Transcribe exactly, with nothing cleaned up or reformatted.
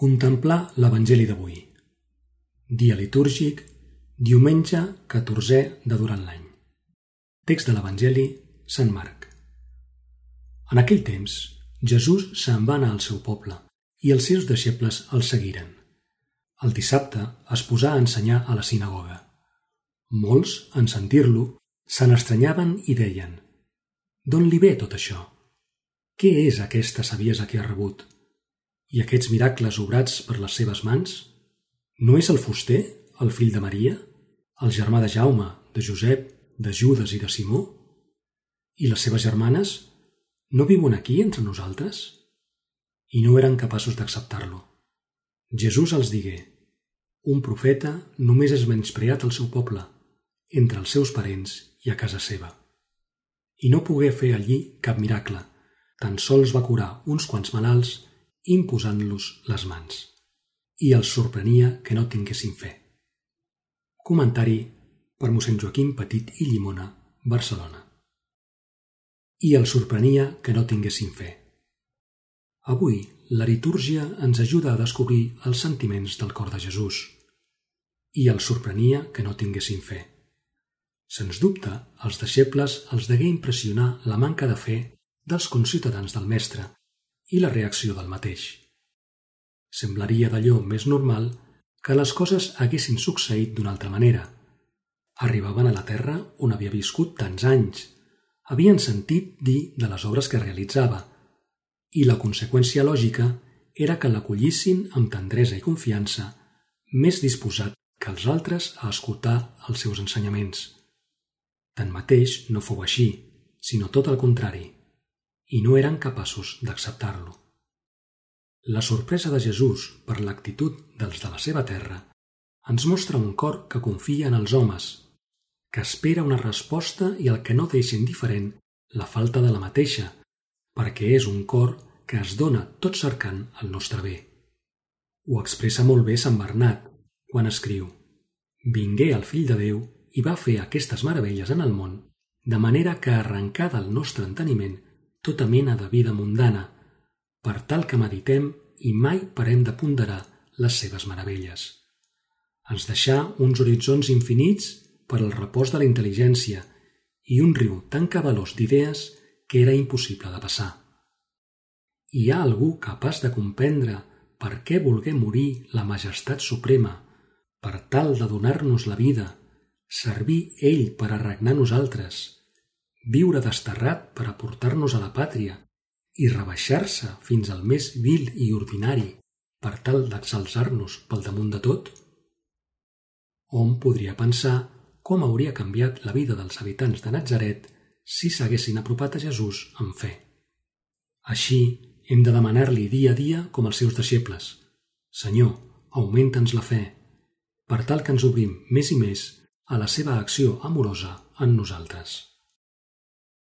Contemplar l'Evangeli d'avui. Dia litúrgic, diumenge catorzè de durant l'any. Text de l'Evangeli, Sant Marc. En aquell temps, Jesús se'n va anar al seu poble i els seus deixebles el seguiren. El dissabte es posà a ensenyar a la sinagoga. Molts, en sentir-lo, se n'estranyaven i deien: «D'on li ve tot això? Què és aquesta saviesa que ha rebut? I aquests miracles obrats per les seves mans? No és el fuster, el fill de Maria, el germà de Jaume, de Josep, de Judes i de Simó? I les seves germanes no viuen aquí entre nosaltres?» I no eren capaços d'acceptar-lo. Jesús els digué: «Un profeta només és menyspreat al seu poble, entre els seus parents i a casa seva». I no pogué fer allí cap miracle, tan sols va curar uns quants malalts imposant-los les mans. I els sorprenia que no tinguessin fe. Comentari per mossèn Joaquim Petit i Llimona, Barcelona. I els sorprenia que no tinguessin fe. Avui, la litúrgia ens ajuda a descobrir els sentiments del cor de Jesús. I els sorprenia que no tinguessin fe. Sens dubte, als deixebles els degué impressionar la manca de fe dels conciutadans del Mestre i la reacció del mateix. Semblaria d'allò més normal que les coses haguessin succeït d'una altra manera. Arribaven a la terra on havia viscut tants anys, havien sentit dir de les obres que realitzava, i la conseqüència lògica era que l'acollissin amb tendresa i confiança, més disposat que els altres a escoltar els seus ensenyaments. Tanmateix no fou així, sinó tot el contrari, i no eren capaços d'acceptar-lo. La sorpresa de Jesús per l'actitud dels de la seva terra ens mostra un cor que confia en els homes, que espera una resposta i el que no deixa indiferent la falta de la mateixa, perquè és un cor que es dona tot cercant el nostre bé. Ho expressa molt bé Sant Bernat quan escriu: «Vingué el Fill de Déu i va fer aquestes meravelles en el món, de manera que arrencà del nostre enteniment tota mena de vida mundana, per tal que meditem i mai parem de ponderar les seves meravelles. Ens deixà uns horitzons infinits per al repòs de la intel·ligència i un riu tan cabalós d'idees que era impossible de passar. Hi ha algú capaç de comprendre per què volgué morir la majestat suprema, per tal de donar-nos la vida, servir ell per a regnar nosaltres, viure desterrat per a portar-nos a la pàtria i rebaixar-se fins al més vil i ordinari per tal d'exalçar-nos pel damunt de tot? Hom podria pensar com hauria canviat la vida dels habitants de Natzaret si s'haguessin apropat a Jesús amb fe. Així hem de demanar-li dia a dia com els seus deixebles: «Senyor, augmenta'ns la fe», per tal que ens obrim més i més a la seva acció amorosa en nosaltres.